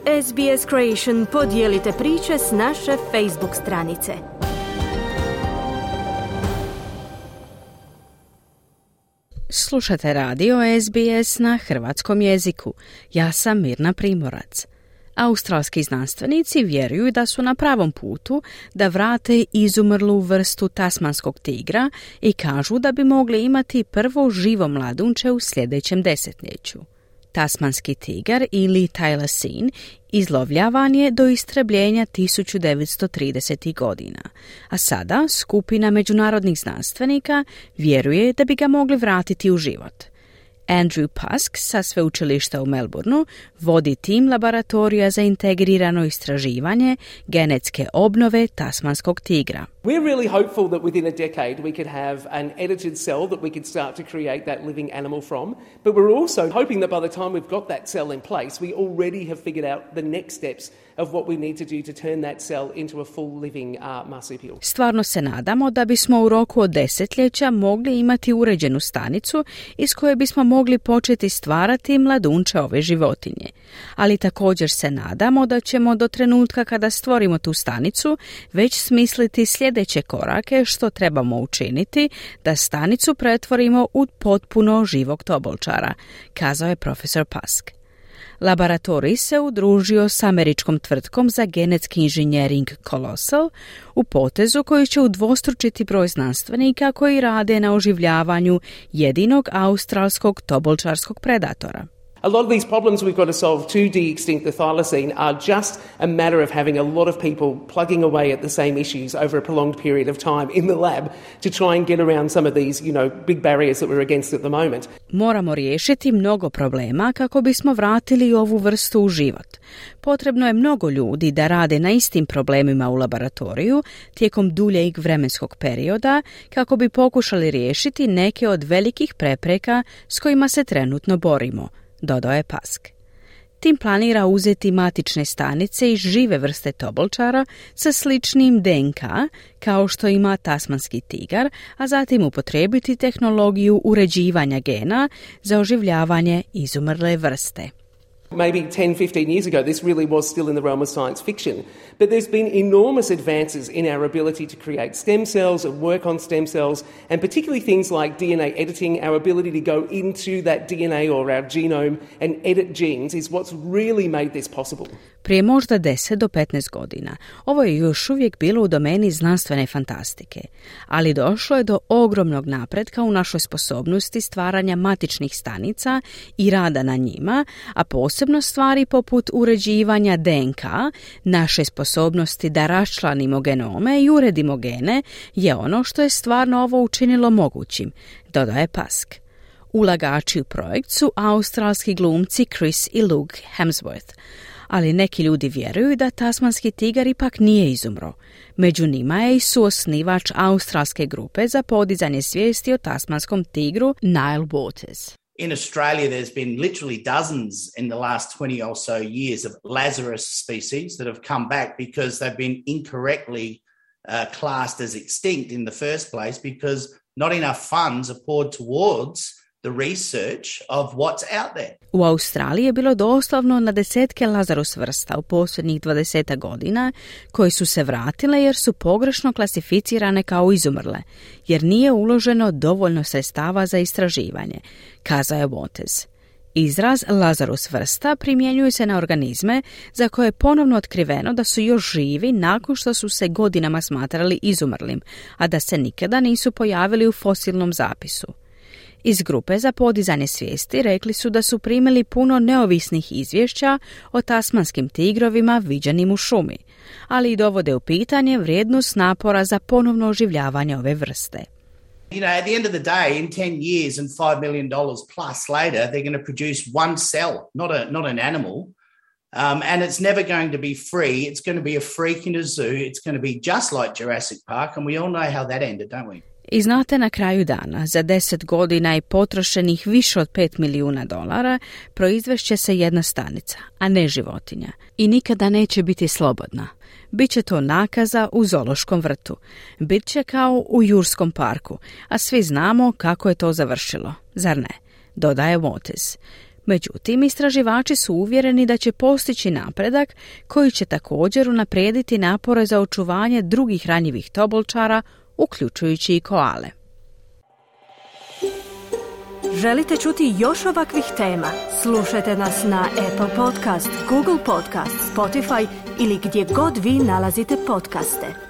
SBS Creation podijelite priče s naše Facebook stranice. Slušate radio SBS na hrvatskom jeziku. Ja sam Mirna Primorac. Australski znanstvenici vjeruju da su na pravom putu da vrate izumrlu vrstu tasmanskog tigra i kažu da bi mogli imati prvo živo mladunče u sljedećem desetljeću. Tasmanski tigar ili thylacine izlovljavan je do istrebljenja 1930. godina, a sada skupina međunarodnih znanstvenika vjeruje da bi ga mogli vratiti u život. Andrew Pusk sa sveučilišta u Melbourneu vodi tim laboratorija za integrirano istraživanje genetske obnove tasmanskog tigra. We're really hopeful that within a decade we could have an edited cell that we could start to create that living animal from, but we're also hoping that by the time we've got that cell in place, we already have figured out the next steps of what we need to do to turn that cell into a full living marsupial. Stvarno se nadamo da bismo u roku od desetljeća mogli imati uređenu stanicu iz koje bismo mogli početi stvarati mladunče ove životinje. Ali također se nadamo da ćemo do trenutka kada stvorimo tu stanicu već smisliti sljedeće korake što trebamo učiniti da stanicu pretvorimo u potpuno živog tobolčara, kazao je profesor Pusk. Laboratorij se udružio s američkom tvrtkom za genetski inženjering Colossal u potezu koji će udvostručiti broj znanstvenika koji rade na oživljavanju jedinog australskog tobolčarskog predatora. A lot of these problems we've got to solve to de-extinct the thylacine are just a matter of having a lot of people plugging away at the same issues over a prolonged period of time in the lab to try and get around some of these, big barriers that we're against at the moment. Moramo riješiti mnogo problema kako bismo vratili ovu vrstu u život. Potrebno je mnogo ljudi da rade na istim problemima u laboratoriju tijekom duljeg vremenskog perioda kako bi pokušali riješiti neke od velikih prepreka s kojima se trenutno borimo, dodao je Pusk. Tim planira uzeti matične stanice iz žive vrste tobolčara sa sličnim DNK kao što ima tasmanski tigar, a zatim upotrijebiti tehnologiju uređivanja gena za oživljavanje izumrle vrste. Maybe 10-15 years ago, this really was still in the realm of science fiction. But there's been enormous advances in our ability to create stem cells and work on stem cells, and particularly things like DNA editing, our ability to go into that DNA or our genome and edit genes is what's really made this possible. Prije možda 10 do 15 godina ovo je još uvijek bilo u domeni znanstvene fantastike, ali došlo je do ogromnog napretka u našoj sposobnosti stvaranja matičnih stanica i rada na njima, a posebno stvari poput uređivanja DNK, naše sposobnosti da raščlanimo genome i uredimo gene je ono što je stvarno ovo učinilo mogućim, dodaje Pusk. Ulagači u projekt su australski glumci Chris i Luke Hemsworth, ali neki ljudi vjeruju da tasmanski tigar ipak nije izumro. Među njima je i suosnivač australske grupe za podizanje svijesti o tasmanskom tigru Nile Waters. In Australia, there's been literally dozens in the last 20 or so years of Lazarus species that have come back because they've been incorrectly classed as extinct in the first place because not enough funds are poured towards the research of what's out there. U Australiji je bilo doslovno na desetke Lazarus vrsta u posljednjih 20 godina koje su se vratile jer su pogrešno klasificirane kao izumrle, jer nije uloženo dovoljno sredstava za istraživanje, kazao je Waters. Izraz Lazarus vrsta primjenjuje se na organizme za koje je ponovno otkriveno da su još živi nakon što su se godinama smatrali izumrlim, a da se nikada nisu pojavili u fosilnom zapisu. Iz grupe za podizanje svijesti rekli su da su primili puno neovisnih izvješća o tasmanskim tigrovima viđenim u šumi, ali i dovode u pitanje vrijednost napora za ponovno oživljavanje ove vrste. At the end of the day, in 10 years and $5 million plus later, they're going to produce one cell, not an animal. And it's never going to be free. It's going to be a freak in a zoo. It's going to be just like Jurassic Park, and we all know how that ended, don't we? I znate, na kraju dana, za 10 godina i potrošenih više od $5 milijuna, proizvešće se jedna stanica, a ne životinja. I nikada neće biti slobodna. Biće to nakaza u zoološkom vrtu. Biće kao u Jurskom parku, a svi znamo kako je to završilo, zar ne? Dodaje Waters. Međutim, istraživači su uvjereni da će postići napredak koji će također unaprijediti napore za očuvanje drugih ranjivih tobolčara, uključujući i koale. Želite čuti još ovakvih tema? Slušajte nas na Apple Podcast, Google Podcast, Spotify ili gdje god vi nalazite podcaste.